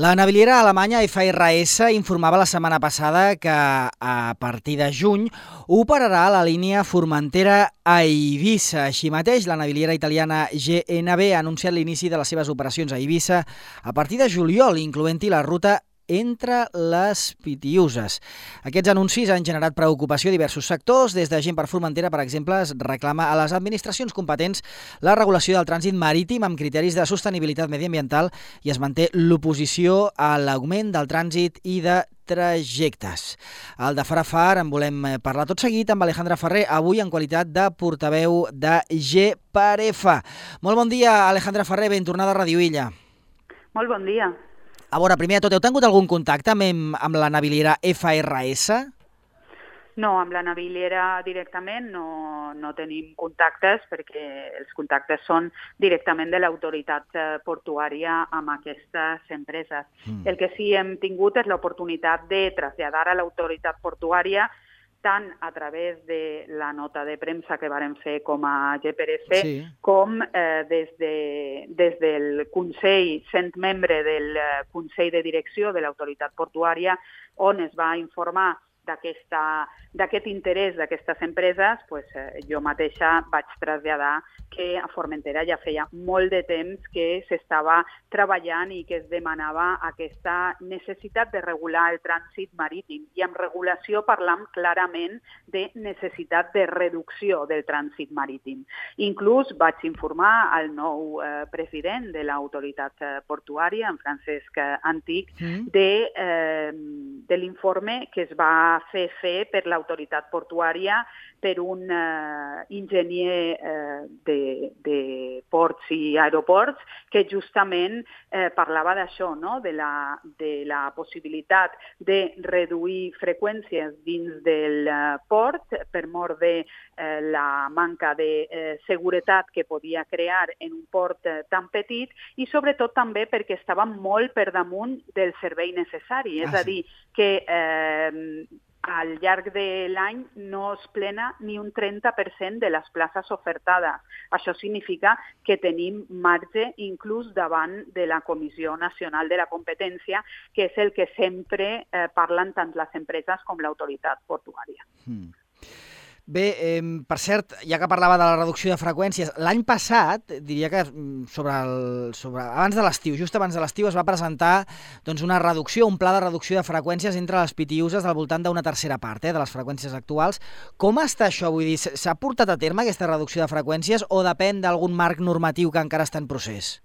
La naviliera alemanya FRS informava la setmana passada que a partir de juny operarà la línia Formentera a Eivissa. Així mateix, la naviliera italiana GNB ha anunciat l'inici de les seves operacions a Eivissa a partir de juliol, incloent-hi la ruta entre les Pitiüses. Aquests anuncis han generat preocupació a diversos sectors. Des de Gent per Formentera, per exemple, es reclama a les administracions competents la regulació del trànsit marítim amb criteris de sostenibilitat mediambiental i es manté l'oposició a l'augment del trànsit i de trajectes. Al de Far a Far en volem parlar tot seguit amb Alejandra Ferrer, avui en qualitat de portaveu de G per F. Molt bon dia, Alejandra Ferrer, ben tornada a Radio Illa. Molt bon dia. A veure, primer de tot, heu tingut algun contacte amb la naviliera FRS? No, amb la naviliera directament no tenim contactes perquè els contactes són directament de l'autoritat portuària amb aquestes empreses. El que sí hem tingut és l'oportunitat de traslladar a l'autoritat portuària tant a través de la nota de premsa que vàrem fer com a GPRF, sí, com des del Consell, sent membre del Consell de Direcció de l'Autoritat Portuària, on es va informar d'aquest interès d'aquestes empreses, jo mateixa vaig traslladar que a Formentera ja feia molt de temps que s'estava treballant i que es demanava aquesta necessitat de regular el trànsit marítim. I amb regulació parlam clarament de necessitat de reducció del trànsit marítim. Inclús vaig informar al nou president de l'autoritat portuària, en Francesc Antic, de l'informe que es va fer per l'autoritat portuària per un enginyer de ports i aeroports que justament parlava d'això, no? de la possibilitat de reduir freqüències dins del port per mort de la manca de seguretat que podia crear en un port tan petit i sobretot també perquè estava molt per damunt del servei necessari, és a dir, que al llarg de l'any no es plena ni un 30% de les places ofertades. Això significa que tenim marge inclús davant de la Comissió Nacional de la Competència, que és el que sempre parlen tant les empreses com l'autoritat portuària. Bé, per cert, ja que parlava de la reducció de freqüències, l'any passat, diria que abans de l'estiu, just abans de l'estiu, es va presentar una reducció, un pla de reducció de freqüències entre les Pitiüses del voltant d'una tercera part de les freqüències actuals. Com està això? Vull dir, s'ha portat a terme aquesta reducció de freqüències o depèn d'algun marc normatiu que encara està en procés?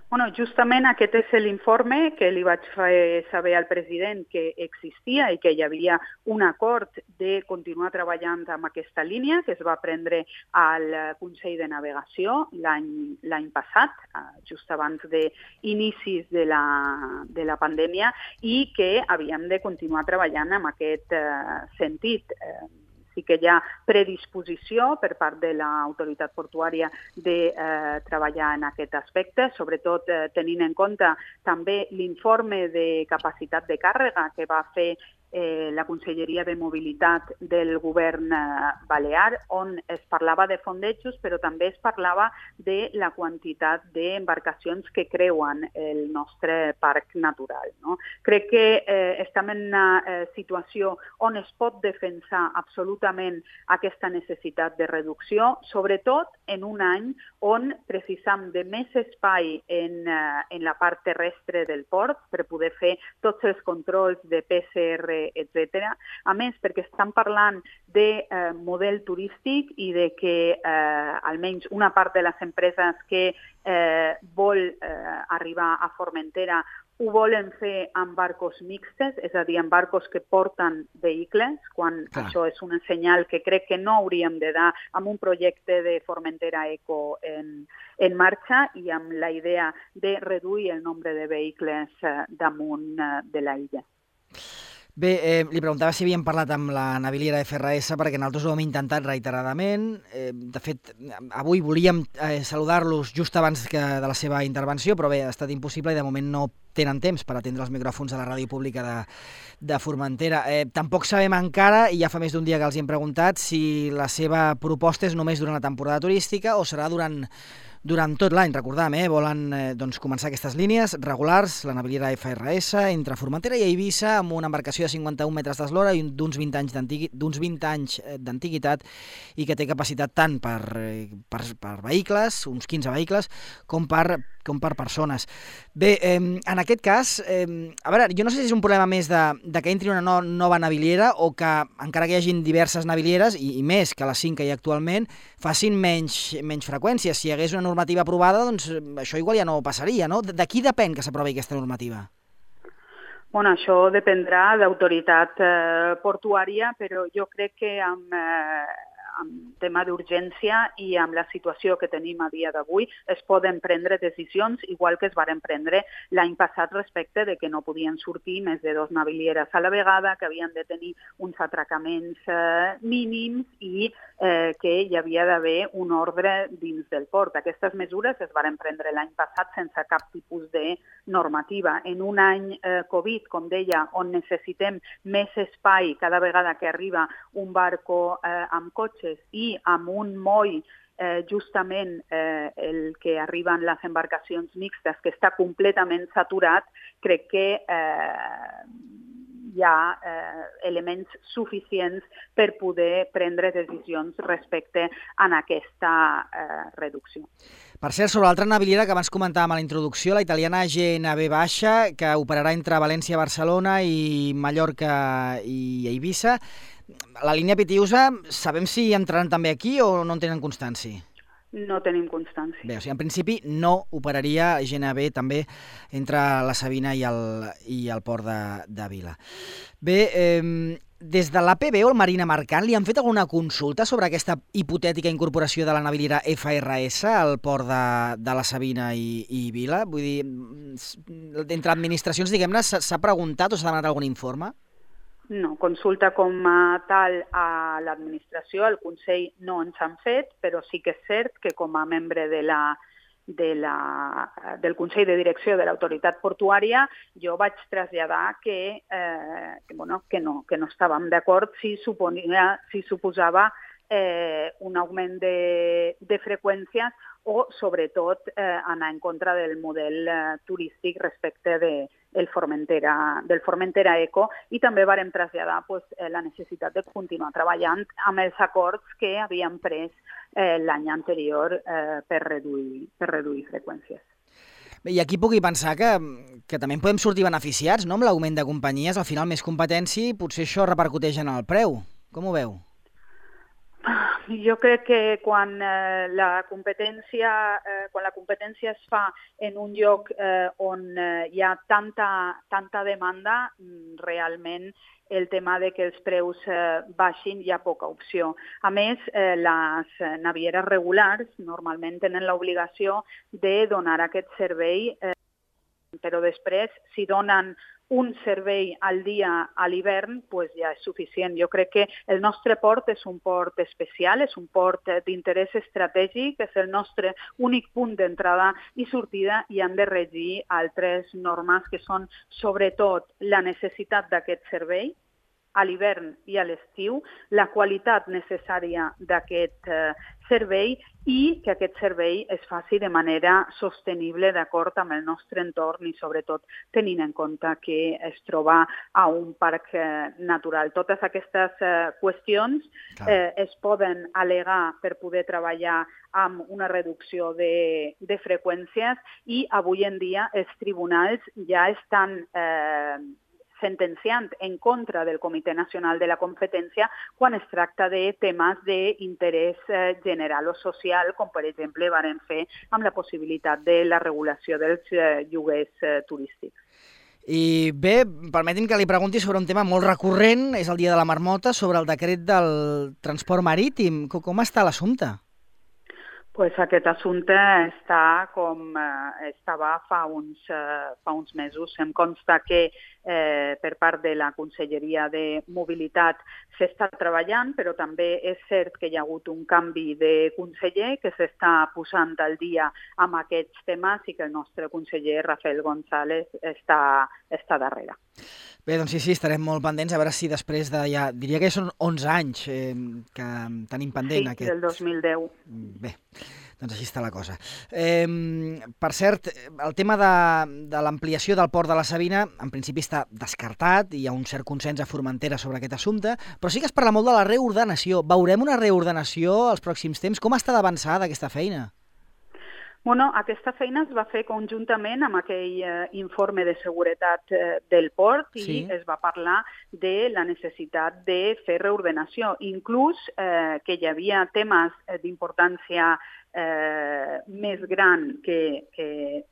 Bueno, justament aquest és l'informe que li vaig fer saber al president que existia i que hi havia un acord de continuar treballant amb aquesta línia que es va prendre al Consell de Navegació l'any passat, just abans d'inicis de la pandèmia, i que havíem de continuar treballant en aquest sentit. Sí que hi ha predisposició per part de l'autoritat portuària de treballar en aquest aspecte, sobretot tenint en compte també l'informe de capacitat de càrrega que va fer la Conselleria de Mobilitat del govern balear, on es parlava de fondejos, però també es parlava de la quantitat d'embarcacions que creuen el nostre parc natural. No? Crec que estem en una situació on es pot defensar absolutament aquesta necessitat de reducció, sobretot en un any on precisam de més espai en la part terrestre del port per poder fer tots els controls de PCR, etc. A més, perquè estan parlant de model turístic i de que almenys una part de les empreses que vol arribar a Formentera ho volen fer amb barcos mixtes, és a dir, amb barcos que porten vehicles, quan això és un senyal que crec que no hauríem de dar amb un projecte de Formentera Eco en marxa i amb la idea de reduir el nombre de vehicles damunt de la illa. Bé, li preguntava si havíem parlat amb la naviliera FRS perquè nosaltres ho hem intentat reiteradament. De fet, avui volíem saludar-los just abans de la seva intervenció, però bé, ha estat impossible i de moment no tenen temps per atendre els micròfons de la ràdio pública de Formentera. Tampoc sabem encara, i ja fa més d'un dia que els hi hem preguntat, si la seva proposta és només durant la temporada turística o serà durant Durant tot l'any, recordam, volen començar aquestes línies regulars, la naviera FRS, entre Formentera i Eivissa, amb una embarcació de 51 metres d'eslora i d'uns 20 anys d'antiguitat i que té capacitat tant per vehicles, uns 15 vehicles, com per persones. Bé, en aquest cas, a veure, jo no sé si és un problema més de que entri una nova naviliera o que, encara que hi hagin diverses navilieres, i més que les 5 que hi ha actualment, facin menys freqüències. Si hi hagués una normativa aprovada, doncs això igual ja no passaria, no? De qui depèn que s'aprovi aquesta normativa? Bueno, això dependrà d'autoritat portuària, però jo crec que amb tema d'urgència i amb la situació que tenim a dia d'avui es poden prendre decisions, igual que es varen prendre l'any passat respecte de que no podien sortir més de 2 navilieres a la vegada, que havien de tenir uns atracaments mínims i que hi havia d'haver un ordre dins del port. Aquestes mesures es varen prendre l'any passat sense cap tipus de normativa. En un any Covid, com deia, on necessitem més espai cada vegada que arriba un barco amb cotxes i amb un moll justament el que arriben les embarcacions mixtes, que està completament saturat, crec que hi ha elements suficients per poder prendre decisions respecte a aquesta reducció. Per cert, sobre l'altra naviliera que abans comentàvem a la introducció, la italiana GNB Baixa, que operarà entre València, Barcelona i Mallorca i Eivissa. La línia Pitiusa, sabem si entraran també aquí o no en tenen constància? No tenim constància. Bé, o sigui, en principi no operaria GNB també entre la Sabina i el port de Vila. Bé, des de l'APB o el Marina Mercant li han fet alguna consulta sobre aquesta hipotètica incorporació de la naviliera FRS al port de la Sabina i Vila? Vull dir, entre administracions, diguem-ne, s'ha preguntat o s'ha demanat algun informe? No, consulta com a tal a l'administració, al Consell no ens han fet, però sí que és cert que com a membre del Consell de Direcció de l'Autoritat Portuària jo vaig traslladar que no estàvem d'acord si suposava un augment de freqüències o, sobretot, anar en contra del model turístic respecte del Formentera Eco, i també vàrem traslladar la necessitat de continuar treballant amb els acords que havíem pres l'any anterior per reduir freqüències. Bé, i aquí pugui pensar que també en podem sortir beneficiats, no?, amb l'augment de companyies, al final més competència i potser això repercuteix en el preu. Com ho veu? Jo crec que quan la competència es fa en un lloc on hi ha tanta demanda, realment el tema de que els preus baixin hi ha poca opció. A més, les navieres regulars normalment tenen l'obligació de donar aquest servei, però després, si donen un servei al dia a l'hivern, ja és suficient. Jo crec que el nostre port és un port especial, és un port d'interès estratègic, és el nostre únic punt d'entrada i sortida i han de regir altres normes que són sobretot la necessitat d'aquest servei a l'hivern i a l'estiu, la qualitat necessària d'aquest servei i que aquest servei es faci de manera sostenible d'acord amb el nostre entorn i sobretot tenint en compte que es troba a un parc natural. Totes aquestes qüestions es poden al·legar per poder treballar amb una reducció de freqüències i avui en dia els tribunals ja estan sentenciant en contra del Comitè Nacional de la Competència quan es tracta de temes d'interès general o social, com per exemple varen fer amb la possibilitat de la regulació dels lloguers turístics. I bé, permeti'm que li pregunti sobre un tema molt recurrent, és el Dia de la Marmota, sobre el decret del transport marítim. Com està l'assumpte? Aquest assumpte està com estava fa uns mesos. Em consta que per part de la Conselleria de Mobilitat s'està treballant, però també és cert que hi ha hagut un canvi de conseller que s'està posant al dia amb aquests temes i que el nostre conseller Rafael González està darrere. Bé, doncs sí, estarem molt pendents, a veure si després de ja, diria que són 11 anys que tenim pendent aquest. Sí, del 2010. Bé, Doncs així està la cosa. Per cert, el tema de l'ampliació del port de la Sabina en principi està descartat, hi ha un cert consens a Formentera sobre aquest assumpte, però sí que es parla molt de la reordenació. Veurem una reordenació als pròxims temps? Com està d'avançada aquesta feina? Bueno, aquesta feina es va fer conjuntament amb aquell informe de seguretat del port i es va parlar de la necessitat de fer reordenació. Inclús que hi havia temes d'importància més gran que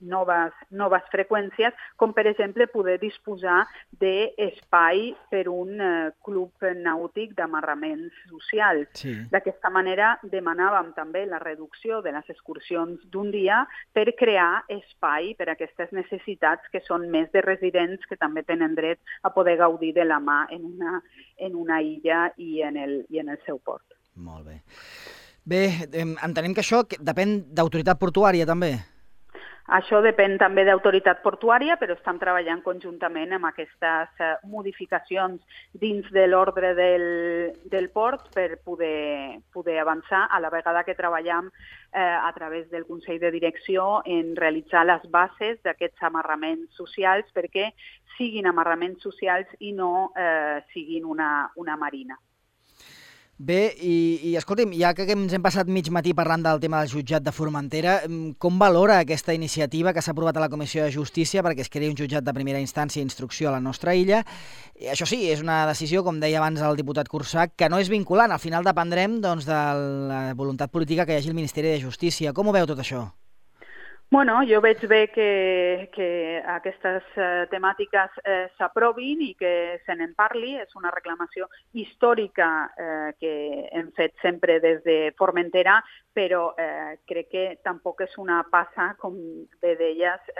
noves freqüències, com per exemple poder disposar d'espai per un club nàutic d'amarraments socials. Sí. D'aquesta manera demanàvem també la reducció de les excursions d'un dia per crear espai per a aquestes necessitats que són més de residents que també tenen dret a poder gaudir de la mà en una illa i en el seu port. Molt bé. Bé, entenem que això depèn d'autoritat portuària, també. Això depèn també d'autoritat portuària, però estem treballant conjuntament amb aquestes modificacions dins de l'ordre del port per poder avançar, a la vegada que treballem a través del Consell de Direcció en realitzar les bases d'aquests amarraments socials perquè siguin amarraments socials i no siguin una marina. Bé, i escolti'm, ja que ens hem passat mig matí parlant del tema del jutjat de Formentera, com valora aquesta iniciativa que s'ha aprovat a la Comissió de Justícia perquè es creï un jutjat de primera instància i instrucció a la nostra illa? Això sí, és una decisió, com deia abans el diputat Cursac, que no és vinculant. Al final dependrem doncs, de la voluntat política que hi hagi al Ministeri de Justícia. Com ho veu tot això? Bueno, jo veig bé que aquestes temàtiques s'aprovin i que se n'en parli. És una reclamació històrica que hem fet sempre des de Formentera, però crec que tampoc és una passa, com bé deies,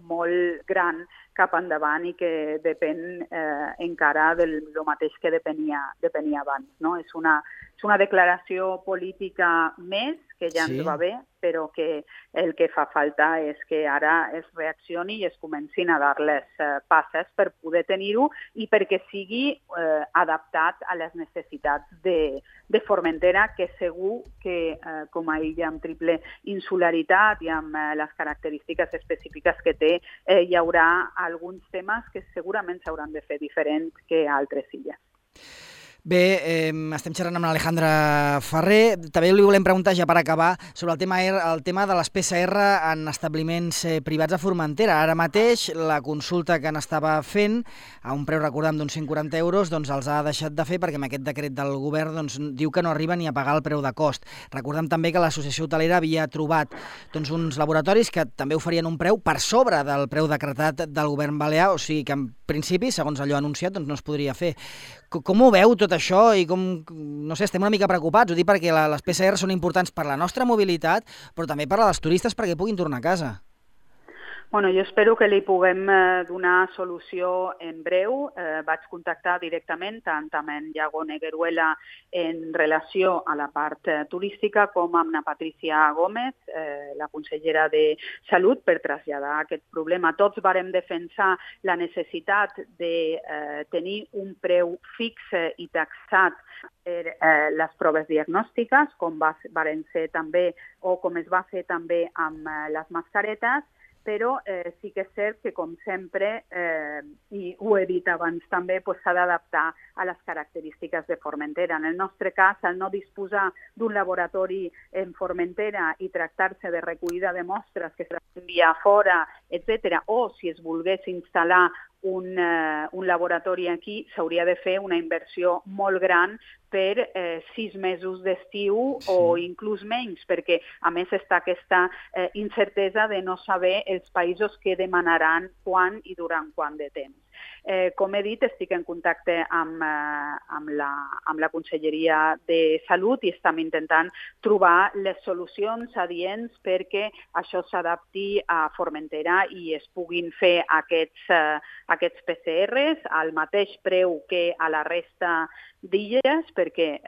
molt gran cap endavant i que depèn encara del mateix que depenia abans. No? És una declaració política més, que ja ens va bé, però que el que fa falta és que ara es reaccioni i es comencin a dar les passes per poder tenir-ho i perquè sigui adaptat a les necessitats de Formentera, que segur que com a illa amb triple insularitat i amb les característiques específiques que té, hi haurà alguns temes que segurament s'hauran de fer diferents que altres illes. Bé, estem xerrant amb l'Alejandra Ferrer. També li volem preguntar, ja per acabar, sobre el tema de les PCR en establiments privats a Formentera. Ara mateix, la consulta que n'estava fent, a un preu, recordem, d'uns 140 euros, doncs els ha deixat de fer perquè amb aquest decret del govern doncs, diu que no arriba ni a pagar el preu de cost. Recordem també que l'Associació Hotelera havia trobat doncs, uns laboratoris que també oferien un preu per sobre del preu decretat del govern balear, o sigui que en principi, segons allò anunciat, doncs no es podria fer. Com ho veu tot això i com, no sé, estem una mica preocupats, ho dic perquè les PCR són importants per la nostra mobilitat, però també per a les turistes perquè puguin tornar a casa. Bueno, jo espero que li puguem donar solució en breu. Vaig contactar directament tant amb en Iago Negueruela en relació a la part turística com amb la Patricia Gómez, la consellera de Salut, per traslladar aquest problema. Tots vàrem defensar la necessitat de tenir un preu fix i taxat per les proves diagnòstiques, com varen ser també o com es va fer també amb les mascaretes, però sí que és cert que, com sempre, i ho he dit abans també, s'ha d'adaptar a les característiques de Formentera. En el nostre cas, al no disposar d'un laboratori en Formentera i tractar-se de recollida de mostres que s'ha d'enviar fora, etc., o si es volgués instal·lar un laboratori aquí, s'hauria de fer una inversió molt gran per 6 mesos d'estiu o inclús menys, perquè a més està aquesta incertesa de no saber els països que demanaran quan i durant quant de temps. Com he dit, estic en contacte amb la Conselleria de Salut i estem intentant trobar les solucions adients perquè això s'adapti a Formentera i es puguin fer aquests PCRs al mateix preu que a la resta d'illes, perquè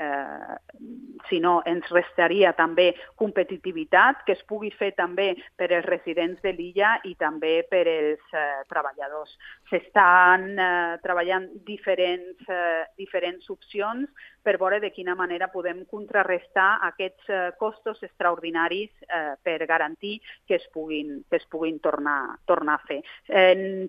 si no ens restaria també competitivitat, que es pugui fer també per als residents de l'illa i també per als treballadors. S'estan treballant diferents opcions per veure de quina manera podem contrarrestar aquests costos extraordinaris per garantir que es puguin tornar a fer.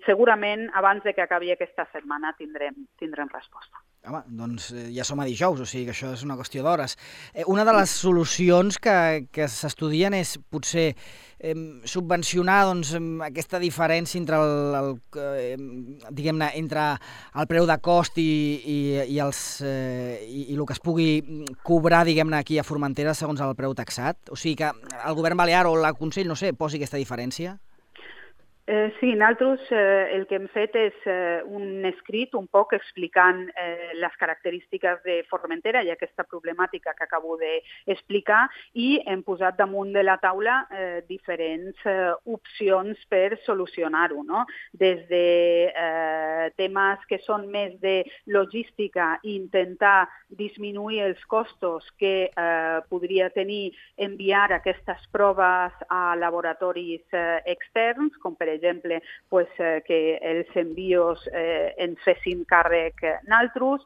Segurament abans de que acabi aquesta setmana tindrem resposta. Home, doncs ja som a dijous, o sigui que això és una qüestió d'hores. Una de les solucions que s'estudien és potser subvencionar aquesta diferència entre diguem-ne, entre el preu de cost i el que es pugui cobrar, diguem-ne, aquí a Formentera segons el preu taxat. O sigui que el govern balear o el Consell, no sé, posi aquesta diferència? Sí, nosaltres el que hem fet és un escrit un poc explicant les característiques de Formentera i aquesta problemàtica que acabo d'explicar i hem posat damunt de la taula diferents opcions per solucionar-ho, no? Des de temes que són més de logística i intentar disminuir els costos que podria tenir enviar aquestes proves a laboratoris externs, com per exemple, que els envios ens fessin càrrec nosaltres,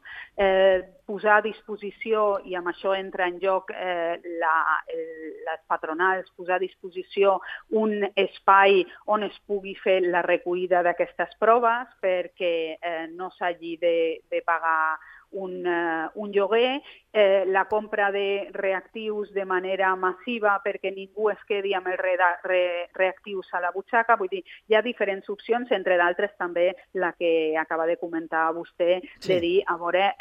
posar a disposició, i amb això entra en joc les patronals, posar a disposició un espai on es pugui fer la recollida d'aquestes proves perquè no s'hagi de pagar un lloguer, la compra de reactius de manera massiva perquè ningú es quedi amb els reactius a la butxaca. Vull dir, hi ha diferents opcions, entre d'altres també la que acaba de comentar vostè, de dir, a veure,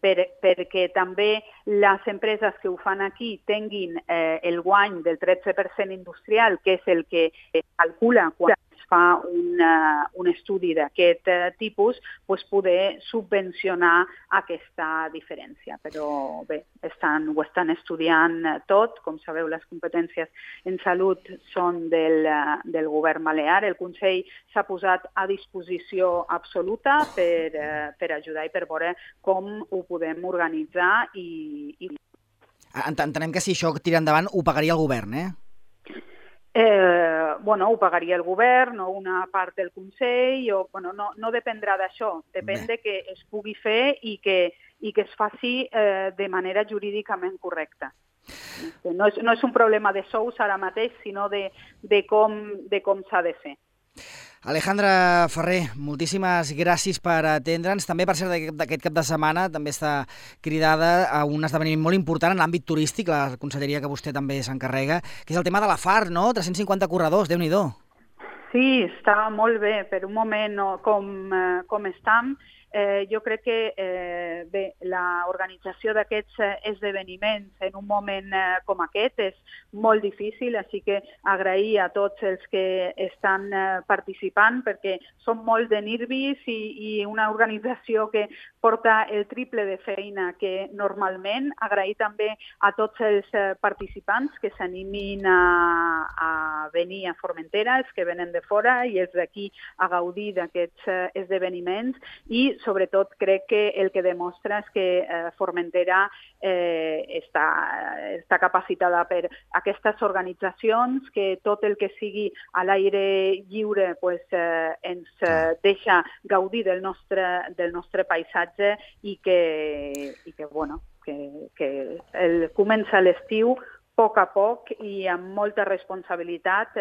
perquè també les empreses que ho fan aquí tinguin el guany del 13% industrial, que és el que calcula quan es fa un estudi d'aquest tipus, poder subvencionar aquesta diferència. Però bé, ho estan estudiant tot. Com sabeu, les competències en salut són del govern balear. El Consell s'ha posat a disposició absoluta per ajudar i per veure com ho podem organitzar. Entenem que si això tira endavant ho pagaria el govern, ho pagaria el govern o una part del Consell, no dependrà d'això, depèn de que es pugui fer i que es faci de manera jurídicament correcta. No és un problema de sous ara mateix, sinó de com s'ha de fer. Alejandra Ferrer, moltíssimes gràcies per atendre'ns. També, per cert, d'aquest cap de setmana també està cridada a un esdeveniment molt important en l'àmbit turístic, la conselleria que vostè també s'encarrega, que és el tema de la FAR, no? 350 corredors, Déu-n'hi-do. Sí, està molt bé. Per un moment com estem, jo crec que l'organització d'aquests esdeveniments en un moment com aquest és molt difícil, així que agrair a tots els que estan participant perquè són molt de nervis i una organització que porta el triple de feina que normalment. Agrair també a tots els participants que s'animin a venir a Formentera, els que venen de fora i els d'aquí a gaudir d'aquests esdeveniments i sobretot crec que el que demostra és que Formentera està capacitada per aquestes organitzacions, que tot el que sigui a l'aire lliure ens deixa gaudir del nostre paisatge i que comença l'estiu a poc i amb molta responsabilitat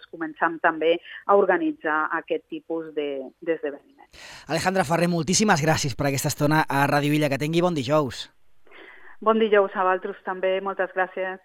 començam també a organitzar aquest tipus d'esdeveniments. Alejandra Ferrer, moltíssimes gràcies per aquesta estona a Ràdio Illa. Que tingui bon dijous. Bon dijous a vosaltres també, moltes gràcies.